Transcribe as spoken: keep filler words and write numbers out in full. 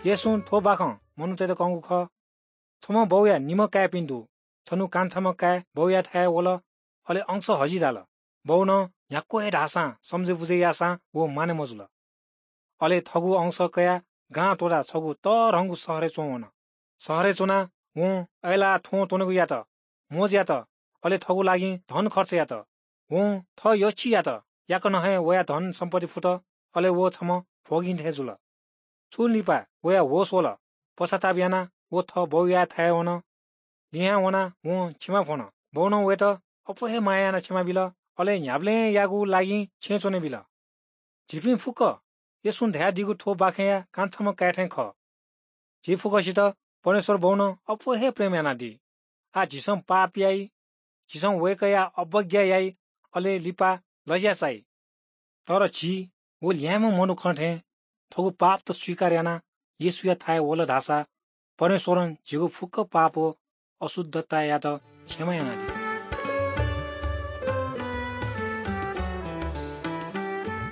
येशूं थ्व बाखं मनूतय्त कंगु खः। छम्ह बौया निम्ह काय्‌पिं दु। छन्हु कान्छाम्ह काय् बौयाथाय् वल, अले अंश हजिदाल। बौनं न्ह्याक्व हे धाःसां समझय् बुझय् याःसां व माने मजुल। अले थःगु अंश कयाः गां त्वःताः छगू तःधंगु शहरय् च्वंवन। शहरय् च्वनाः वं अय्लाः थ्वँ त्वनेगु यात, मोज यात, अले थःगु लागिं धन खर्च यात। वं थः यःछि यात, याकनं हे वया धन सम्पत्ति फुत, अले व छम्ह भ्वगिं थें जुल। छुं लिपा वया होश वल। पश्चाताप यानाः व थः बौयाथाय् वन। लिहां वनाः वं क्षमा फ्वन। बौनं वयात अप्वः हे माया यानाः क्षमा बिल, अले न्ह्याबलेंयागु लागिं छेँय् च्वने बिल। झीपिं फुक्क येशूं धयादीगु थ्व बाखंया कान्छाम्ह काय् थें खः। झी फुक्कसित परमेश्वर बौनं अप्वः हे प्रेम यानादी। आः झीसं पाप याइ, झीसं वय्कःया अवज्ञा याइ, अले लिपा लज्या चाइ। तर झी व ल्याय्म्ह मनुखं थें थःगु पापत स्वीकार यानाः येशूयाथाय् वल धाःसा परमेश्वरं झीगु फुक्क पाप व अशुद्धतायात क्षमा यानादी।